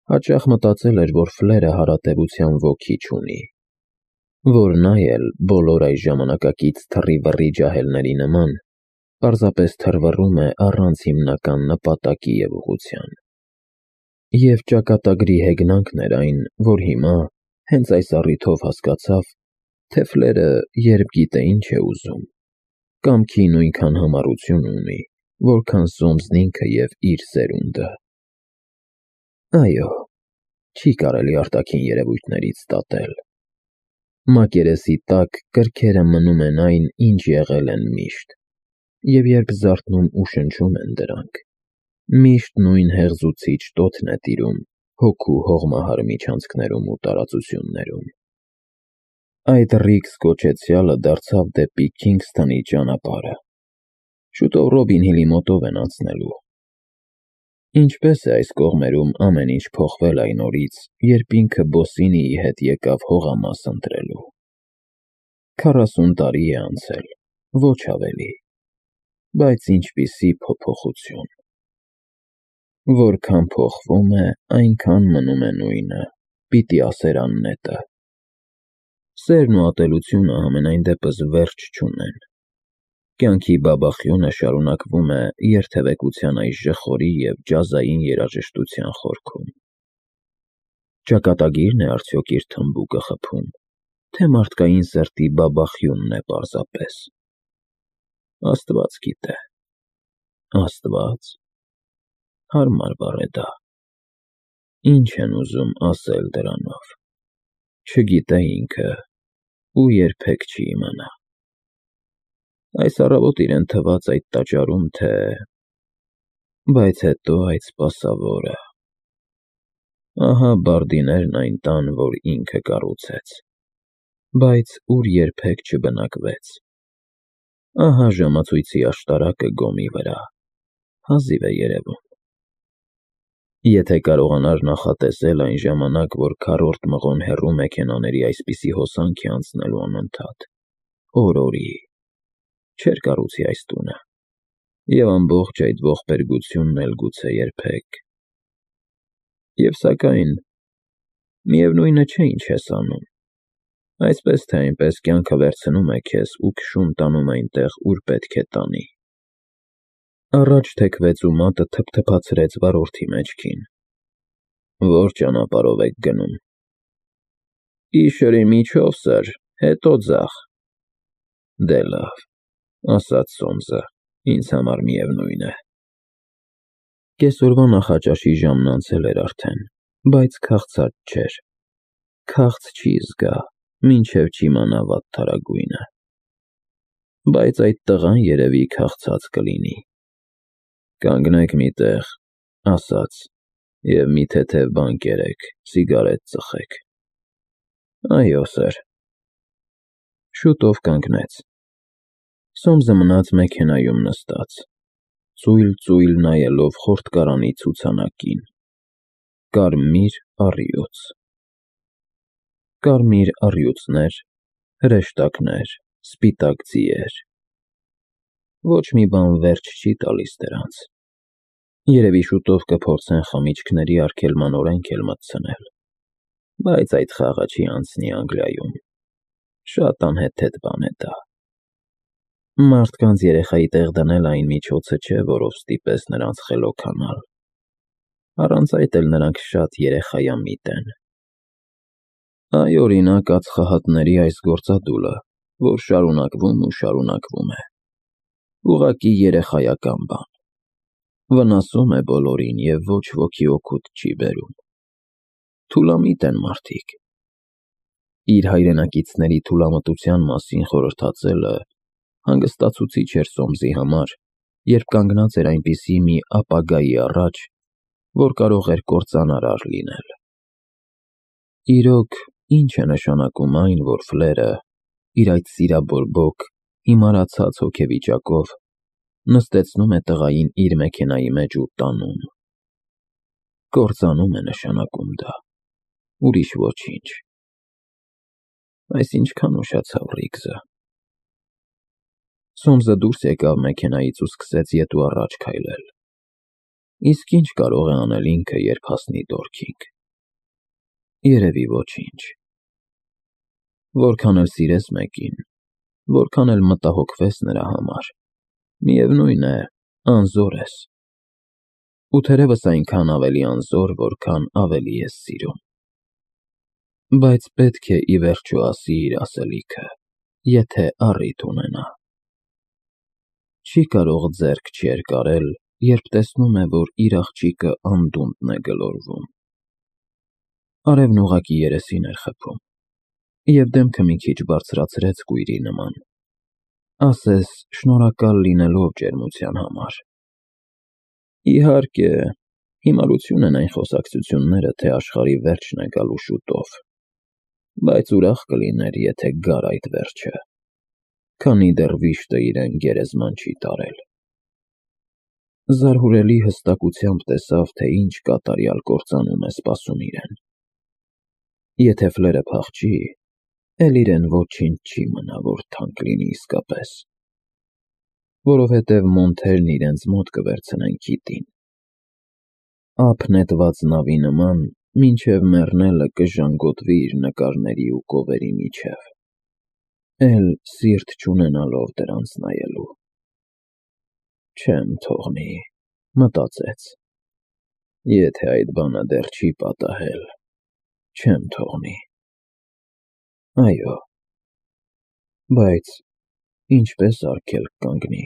Հաճախ մտածել էր, որ Ֆլերը հարատևության ոգի չունի, որ նա էլ բոլոր այս ժամանակակից թռի-վռի ջահելների նման պարզապես թռվռում է առանց հիմնական նպատակի և ուղղության։ Եվ ճակատագրի հեգնանքն էր այն, որ հիմա, հենց այս առիթով հասկացավ, թե Ֆլերը երբ գիտե ինչ է ուզում, կամքի նույնքան համառություն ունի, որքան Սոմսն ինքը և իր սերունդը։ Այո, չի կարելի արտաքին երևույթներից դատել։ Մակերեսի տակ կրքերը մնում են այն, ինչ եղել են միշտ, և երբ զարթնում ու շնչում են դրանք, միշտ նույն հեղձուցիչ տոթն է տիրում հոգու հողմահար միջանցքներում ու տարածություններում։ Այդ Ռիքս կոչեցյալը դարձավ դեպի Քինգսթոնի ճանապարհը։ Շուտով Ռոբին Հիլի մոտով են անցնելու։ Ինչպես է այս կողմերում ամեն ինչ փոխվել այն օրից, երբ ինքը Բոսինիի հետ եկավ հողամաս ընտրելու։ 40 տարի է անցել, ոչ ավելի, բայց ինչպիսի փոփոխություն։ Որքան փոխվում է, այնքան մնում է նույնը, պիտի ասեր Աննետը։ Սերն ու ատելությունը համենայն դեպս վերջ չունեն։ Կյանքի բաբախյունը շարունակվում է երթևեկության այս ժխորի և ջազային երաժշտության խորքում։ Ճակատագի՞րն է արդյոք իր թմբուկը խփում, թե մարդկային սրտի բաբախյունն է պարզապես։ Աստված գիտե։ Աստված։ Հարմար բառ է դա։ Ինչ են ուզում ասել դրանով։ Չգիտե ինքը ու երբեք չի իմանա։ Այս առավոտ իրեն թվաց այդ տաճարում, թե… Բայց հետո այդ սպասավորը… Ահա բարդիներն այն տան, որ ինքը կառուցեց, բայց ուր երբեք չբնակվեց։ Ահա ժամացույցի աշտարակը գոմի վրա, հազիվ է երևում։ Եթե կարողանար նախատեսել այն ժամանակ, որ քառորդ մղոն հեռու մեքենաների այսպիսի հոսանք է անցնելու անընդհատ, օր֊օրի, չէր կառուցի այս տունը, և ամբողջ այդ ողբերգությունն էլ գուցե երբեք։ Եվ սակայն, միևնույնը չէ ինչ ես անում, այսպես թե այնպես կյանքը վերցնում է քեզ ու քշում տանում այնտեղ, ուր պետք է տանի։ Առաջ թեքվեց ու մատը թփթփացրեց վարորդի մեջքին։ Ո՞ր ճանապարհով եք գնում։ Գիշերի միջով, սըր, հետո ձախ։ Դե լավ, ասաց Սոմսը, ինձ համար միևնույն է։ Կեսօրվա նախաճաշի ժամն անցել էր արդեն, բայց քաղցած չէր։ Քաղց չի զգա, մինչև չիմանա վատթարագույնը։ Բայց այդ տղան երևի քաղցած կլինի։ Կանգնեք մի տեղ, ասաց, և մի թեթև բան կերեք, սիգարետ ծխեք։ Այո, սըր։ Շուտով կանգնեց։ Սոմսը մնաց մեքենայում նստած, ծույլ-ծույլ նայելով խորտկարանի ցուցանակին։ Կարմիր առյուծ։ Կարմիր առյուծներ, հրեշտակներ, սպիտակ ձիեր… Ոչ մի բան վերջ չի տալիս դրանց։ Երևի շուտով կփորձեն խմիչքների արգելման օրենք էլ մտցնել, բայց այդ խաղը չի անցնի Անգլիայում։ Շատ անհեթեթ բան է դա։ Մարդկանց երեխայի տեղ դնել այն միջոցը չէ, որով ստիպես նրանց խելոքանալ։ Առանց այդ էլ նրանք շատ երեխայամիտ են։ Այ, օրինակ, ածխահատների այս գործադուլը, որ շարունակվում ու շարունակվում է։ Ուղղակի երեխայական բան։ Վնասում է բոլորին և ոչ ոքի օգուտ չի բերում։ Թուլամիտ են մարդիկ։ Իր հայրենակիցների թուլամտության մասին խորհրդածելը հանգստացուցիչ էր Սոմսի համար, երբ կանգնած էր այնպիսի մի ապագայի առաջ, որ կարող էր կործանարար լինել։ Իրոք, ինչ է նշանակում այն, որ Ֆլերը, իր այդ սիրաբորբոք, հիմարացած հոգեվիճակով, նստեցնում է տղային իր մեքենայի մեջ ու տանում։ Կործանում է նշանակում դա, ուրիշ ոչինչ։ Այս ինչքան ուշացավ Ռիքսը։ Սոմսը դուրս եկավ մեքենայից ու սկսեց ետ ու առաջ քայլել։ Իսկ ինչ կարող է անել ինքը, երբ հասնի Դորքինգ։ Երևի ոչինչ։ Որքան էլ սիրես մեկին, որքան էլ մտահոգվես նրա համար, միևնույն է, անզոր ես։ Ու թերևս այնքան ավելի անզոր, որքան ավելի ես սիրում։ Բայց պետք է ի վերջո ասի իր ասելիքը, եթե առիթ ունենա։ Չի կարող ձեռք չերկարել, երբ տեսնում է, որ իր աղջիկը անդունդն է գլորվում։ Արևն ուղղակի երեսին էր խփում, և դեմքը մի քիչ բարձրացրեց կույրի նման, ասես շնորհակալ լինելով ջերմության համար։ Իհարկե, հիմարություն են այն խոսակցությունները, թե աշխարհի վերջն է գալու շուտով, բայց ուրախ կլիներ, եթե գար այդ վերջը, քանի դեռ վիշտը իրեն գերեզման չի տարել։ Զարհուրելի հստակությամբ տեսավ, թե ինչ կատարյալ կործանում է սպասում իրեն։ Եթե Ֆլերը փախչի, էլ իրեն ոչինչ չի մնա, որ թանկ լինի իսկապես, որովհետև մոնթերն իրենց մոտ կվերցնեն Քիթին։ Ափ նետված նավի նման, մինչև մեռնելը կժանգոտվի իր նկարների ու կովերի միջև, էլ սիրտ չունենալով դրանց նայելու։ Չեմ թողնի, մտածեց, եթե այդ բանը դեռ չի պատահել, չեմ թողնի։ Այո, բայց ինչպես արգելք կանգնի։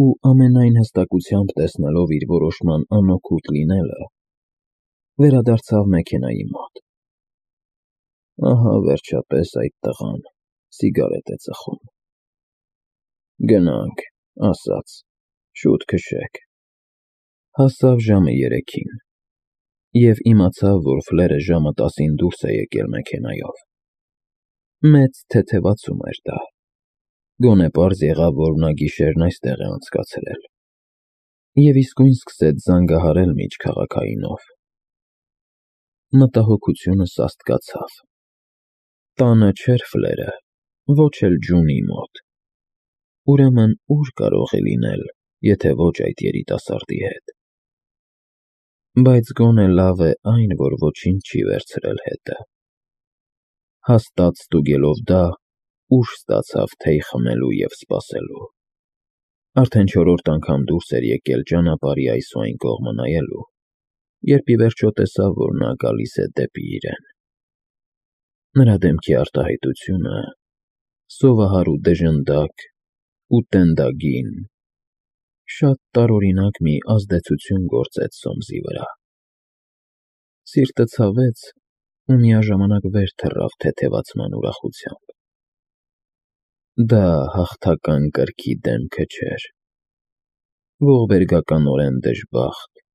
Ու ամենայն հստակությամբ տեսնելով իր որոշման անօգուտ լինելը, վերադարձավ մեքենայի մոտ։ Ահա վերջապես այդ տղան սիգարետ է ծխում։ Գնանք, ասաց, շուտ քշեք։ Հասավ ժամը 3-ին, և իմացավ, որ Ֆլերը ժամը 10-ին դուրս է եկել մեքենայով։ Մեծ թեթևացում էր դա։ Գոնե պարզ եղավ, որ նա գիշերն այստեղ է անցկացրել։ Եվ իսկույն սկսեց զանգահարել միջքաղաքայինով։ Մտահոգությունը սաստկացավ։ Տանը չէր Ֆլերը, ոչ էլ Ջունի մոտ։ Ուրեմն ուր կարող է լինել, եթե ոչ այդ երիտասարդի հետ։ Բայց գոնե լավ է այն, որ ոչինչ չի վերցրել հետը։ Հաստատ ստուգելով դա, ուժ ստացավ թեյ խմելու և սպասելու։ Արդեն 4-րդ անգամ դուրս էր եկել ճանապարհի այս ու այն կողմը նայելու, երբ ի վերջո տեսավ, որ նա գալիս է դեպի իրեն։ Նրա դեմքի արտահայտությունը սովահար ու դժնդակ ու տենդագին շատ տարօրինակ մի ազդեցություն գործեց Սոմսի վրա։ Սիրտը ցավեց ու միաժամանակ վեր թռավ թեթևացման ուրախությամբ։ Դա հաղթական կրքի դեմքը չէր։ Ողբերգականորեն դժբախտ,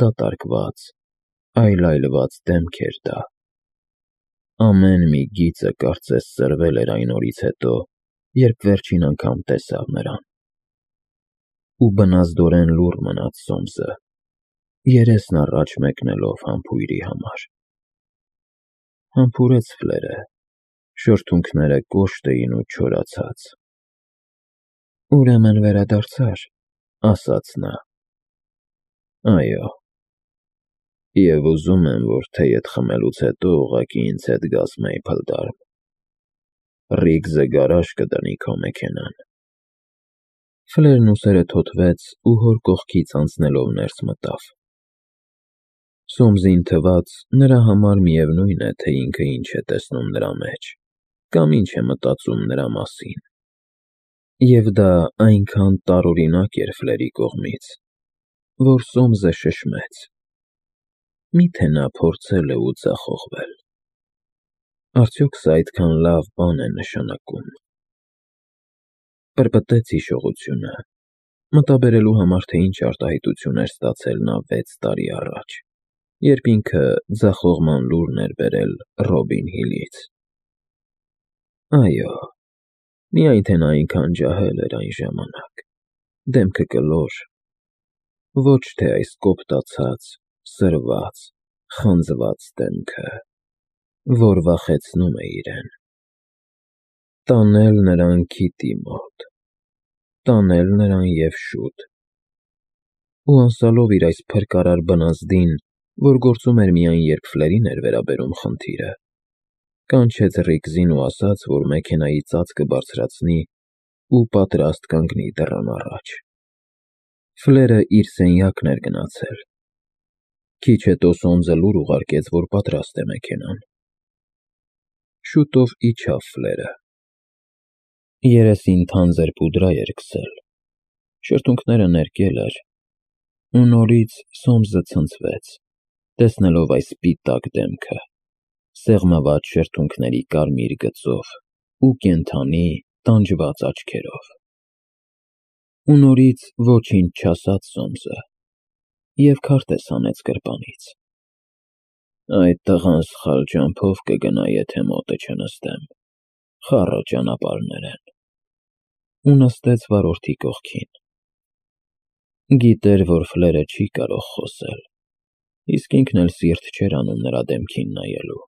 դատարկված, այլայլված դեմք էր դա։ Ամեն մի գիծը կարծես սրվել էր այն օրից հետո, երբ վերջին անգամ տեսավ նրան։ Ու բնազդորեն լուռ մնաց Սոմսը, երեսն առաջ մեկնելով համբույրի համար։ Համբուրեց Ֆլերը, շրթունքները կոշտ էին ու չորացած։ Ուրեմն վերադարձար, ասաց նա։ Այո։ Եվ ուզում եմ, որ թեյդ խմելուց հետո ուղղակի ինձ հետ գաս Մեյփլդարմ։ Ռիգզը գարաժ կդնի քո մեքենան։ Ֆլերն ուսերը թոթվեց ու հոր կողքից անցնելով ներս մտավ։ Սոմսին թվաց, նրա համար միևնույն է, թե ինքը ինչ է տեսնում նրա մեջ, կամ ինչ է մտածում նրա մասին։ Եվ դա այնքան տարօրինակ էր Ֆլերի կողմից, որ Սոմսը շշմեց։ Միթե նա փորձել է ու ձախողվել։ Արդյոք սա այդքան լավ բան է նշանակում։ Պրպտեց հիշողությունը, մտաբերելու համար, թե ինչ արտահայտություն էր ստացել նա 6 տարի առաջ, երբ ինքը ձախողման լուրն էր բերել Ռոբին Հիլից։ Այո, միայն թե նա այնքան ջահել էր այն ժամանակ, դեմքը կլոր, ոչ թե այս կոպտացած, սրված, խանձված դեմքը, որ վախեցնում է իրեն։ Տանել նրան Քիթի մոտ, տանել նրան և շուտ։ Ու անցալով իր այս փրկարար բնազդին, որ գործում էր միայն երբ Ֆլերին էր վերաբերում խնդիրը, կանչեց Ռիգզին ու ասաց, որ մեքենայի ծածկը բարձրացնի ու պատրաստ կանգնի դռան առաջ։ Ֆլերը իր սենյակն էր գնացել։ Քիչ հետո Սոմսը լուր ուղարկեց, որ պատրաստ է մեքենան։ Շուտով իջավ Ֆլերը։ Երեսին թանձր պուդրա էր քսել, շրթունքները ներկել էր, ու նորից Սոմսը ցնցվեց, տեսնելով այս սպիտակ դեմքը, սեղմված շրթունքների կարմիր գծով ու կենդանի, տանջված աչքերով։ Ու նորից ոչինչ չասաց Սոմսը, և քարտեզ հանեց գրպանից։ Այդ տղան սխալ ճամփով կգնա, եթե մոտը չնստեմ, խառը ճանապարհներ են, ու նստեց վարորդի կողքին։ Գիտեր, որ Ֆլերը չի կարող խոսել, իսկ ինքն էլ սիրտ չէր անում նրա դեմքին նայելու։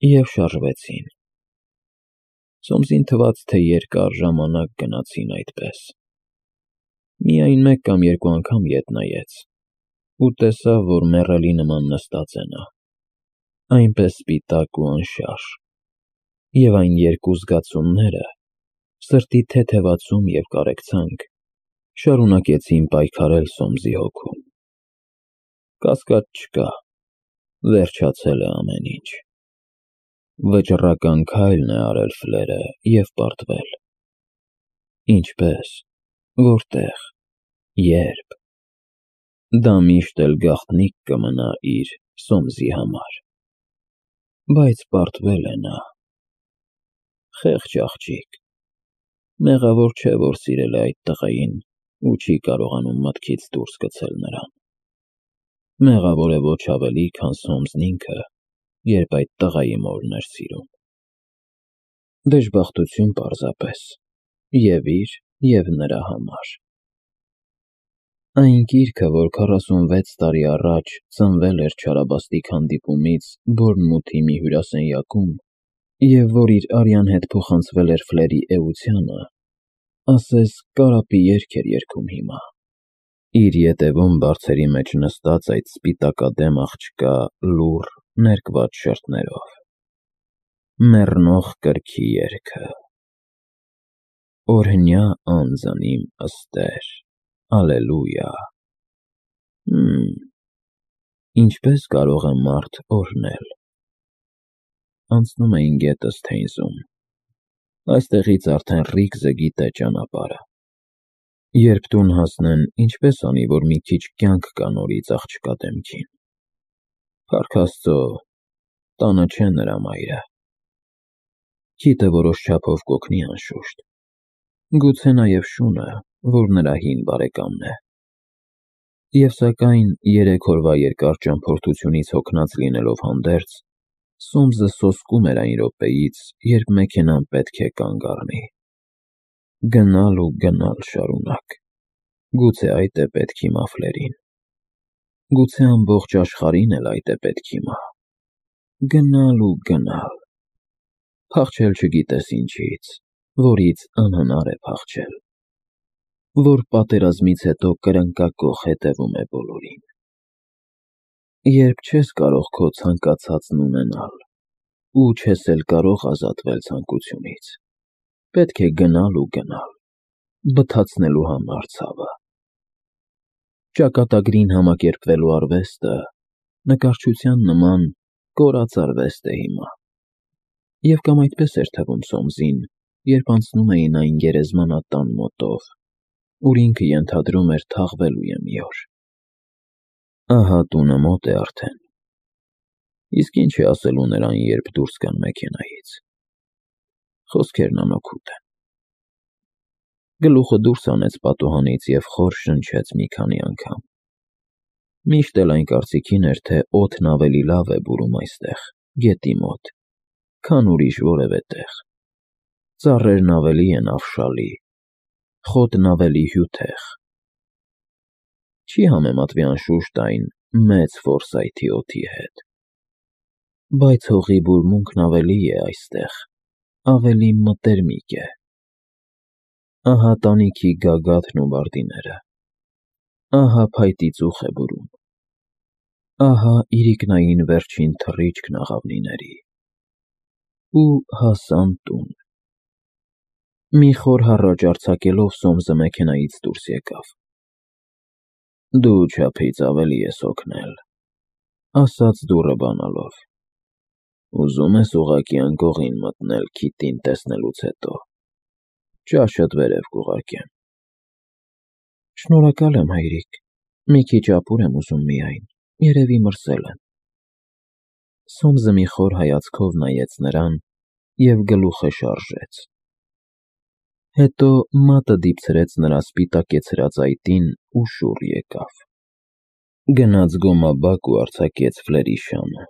Եվ շարժվեցին։ Սոմսին թվաց, թե երկար ժամանակ գնացին այդպես։ Միայն մեկ կամ երկու անգամ ետ նայեց ու տեսավ, որ մեռելի նման նստած է նա, այնպես սպիտակ ու անշարժ, և այն երկու զգացումները՝ սրտի թեթևացում և կարեկցանք, շարունակեցին պայքարել Սոմսի հոգում։ Կասկած չկա, վերջացել է ամեն ինչ։ Վճռական քայլն է արել Ֆլերը և պարտվել։ Ինչպե՞ս, որտե՞ղ, ե՞րբ։ Դա միշտ էլ գաղտնիք կմնա իր Սոմսի համար։ Բայց պարտվել է նա։ Խեղճ աղջիկ։ Մեղավոր չէ, որ սիրել է այդ տղային ու չի կարողանում մտքից դուրս գցել նրան։ Մեղավոր է ոչ ավելի, քան Սոմսն ինքը, երբ այդ տղայի մորն էր սիրում։ Դժբախտություն պարզապես, և իր, և նրա համար։ Այն գիրքը, որ 46 տարի առաջ ծնվել էր չարաբաստիկ հանդիպումից Բորնմութի մի հյուրասենյակում, և որ իր արյան հետ փոխանցվել էր Ֆլերի էությանը, ասես կարապի երգ էր երգում հիմա։ Իր ետևում բարձերի մեջ նստած այդ սպիտակադեմ աղջկա լուռ, ներկված շրթներով։ Մեռնող կրքի երգը։ Օրհնյա անձն իմ ըստեր, ալելույա։ Ինչպես կարող է մարդ օրհնել։ Անցնում էին գետ Սթեյնզում։ Այստեղից արդեն Ռիգզը գիտե ճանապարհը։ Երբ տուն հասնեն, ինչպես անի, որ մի քիչ կյանք գա նորից աղջկա դեմքին։ Փառք Աստծո, տանը չէ նրա մայրը։ Քիթը որոշ չափով կօգնի անշուշտ։ Գուցե նաև Շունը, որ նրա հին բարեկամն է։ Եվ սակայն 3 օրվա երկար ճամփորդությունից հոգնած լինելով հանդերձ, Սոմսը սոսկում էր այն րոպեից, երբ մեքենան պետք է կանգ առնի։ Գնալ ու գնալ շարունակ։ Գուցե այդ է պետք հիմա Ֆլերին։ Գուցե ամբողջ աշխարհին էլ այդ է պետք հիմա։ Գնալ ու գնալ։ Փախչել չգիտես ինչից, որից անհնար է փախչել, որ պատերազմից հետո կրնկակոխ հետևում է բոլորին։ Երբ չես կարող քո ցանկացածն ունենալ, ու չես էլ կարող ազատվել ցանկությունից, պետք է գնալ ու գնալ, բթացնելու համար ցավը։ Ճակատագրին համակերպվելու արվեստը նկարչության նման կորած արվեստ է հիմա։ Եվ կամ այդպես էր թվում Սոմսին, երբ անցնում էին այն գերեզմանատան մոտով, ուր ինքը ենթադրում էր թաղվելու է մի օր։ Ահա տունը մոտ է արդեն։ Իսկ ինչ է ասելու նրան, երբ դուրս գան մեքենայից։ Խոսքերն անօգուտ են։ Գլուխը դուրս հանեց պատուհանից և խոր շնչեց մի քանի անգամ։ Միշտ էլ այն կարծիքին էր, թե օդն ավելի լավ է բուրում այստեղ, գետի մոտ, քան ուրիշ որևէ տեղ։ Ծառերն ավելի են ավշալի, խոտն ավելի հյութեղ։ Չի համեմատվի անշուշտ այն մեծ Ֆորսայթի օդի հետ։ Բայց հողի բուրմունքն ավելի է այստեղ, ավելի մտերմիկ է։ Ահա տանիքի գագաթն ու բարդիները։ Ահա փայտի ծուխ է բուրում։ Ահա իրիկնային վերջին թռիչքն աղավնիների, ու հասան տուն։ Մի խոր հառաչ արձակելով Սոմսը մեքենայից դուրս եկավ։ «Դու չափից ավելի ես օգնել», ասաց դուռը բանալով։ «Ուզում ես ուղղակի անկողին մտնել քիթին տեսնելուց հետո, ճաշդ վերև կուղարկեմ»։ «Շնորհակալ եմ, հայրիկ, մի քիչ ապուր եմ ուզում միայն, երևի մրսել եմ»։ Սոմսը մի խոր հայացքով նայեց նրան և գլուխը շարժեց։ Հետո մատը դիպցրեց նրա սպիտակեցրած այտին ու շուռ եկավ։ Գնաց գոմաբակ ու արձակեց ֆլերի շանը։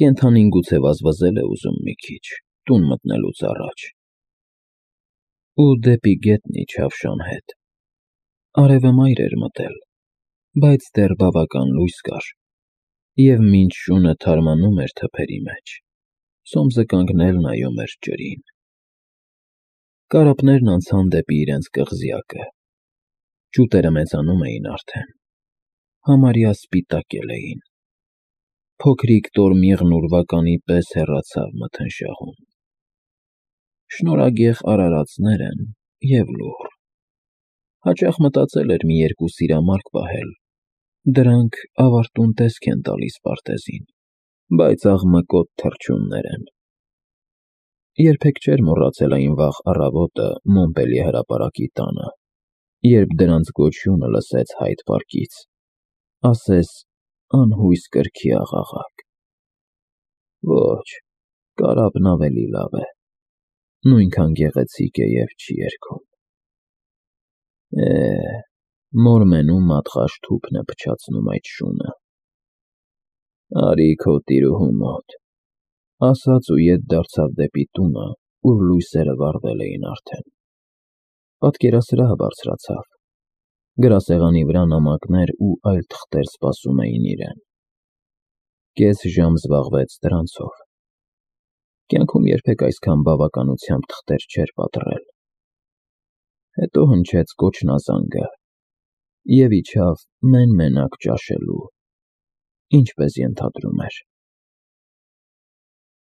Կենդանին գուցե վազվզել է ուզում մի քիչ, տուն մտնելուց առաջ։ Ու դեպի գետնն իջավ շան հետ։ Արևը մայր էր մտել, բայց դեռ բավական լույս կար, և մինչ շունը թարմանում էր թփերի մեջ, Սոմսը կանգնել նայում էր ջրին։ Կարապներն անցան դեպի իրենց կղզյակը։ Ջուտերը մեծանում էին արդեն, համարյա սպիտակել էին։ Փոքրիկ տորմիղն ուրվականի պես հեռացավ մթնշաղում։ Շնորհագեղ արարածներ են և լուռ։ Հաճախ մտածել էր մի երկու սիրամարգ պահել, դրանք ավարտուն տեսք են տալիս պարտեզին, բայց աղմկոտ թռչուններ են։ Երբեք չէր մոռացել այն վաղ առավոտը Մոմպելիե հրապարակի տանը, երբ դրանց գոչյունը լսեց Հայդ պարկից, ասես անհույս կրքի աղաղակ։ Ոչ, կարապն ավելի լավ է, նույնքան գեղեցիկ է և չի երգում։ Մորմենում մատղաշ թուփն է փչացնում այդ շունը։ Արի քո տիրուհու մոտ, ասաց ու ետ դարձավ դեպի տունը, ուր լույսերը վառվել էին արդեն։ Պատկերասրահը բարձրացավ։ Գրասեղանի վրա նամակներ ու այլ թղթեր սպասում էին իրեն։ Կես ժամ զբաղվեց դրանցով։ Կյանքում երբեք այսքան բավականությամբ թղթեր չէր պատռել։ Հետո հնչեց կոչնազանգը, և իջավ մեն֊մենակ ճաշելու, ինչպես ենթադրում էր։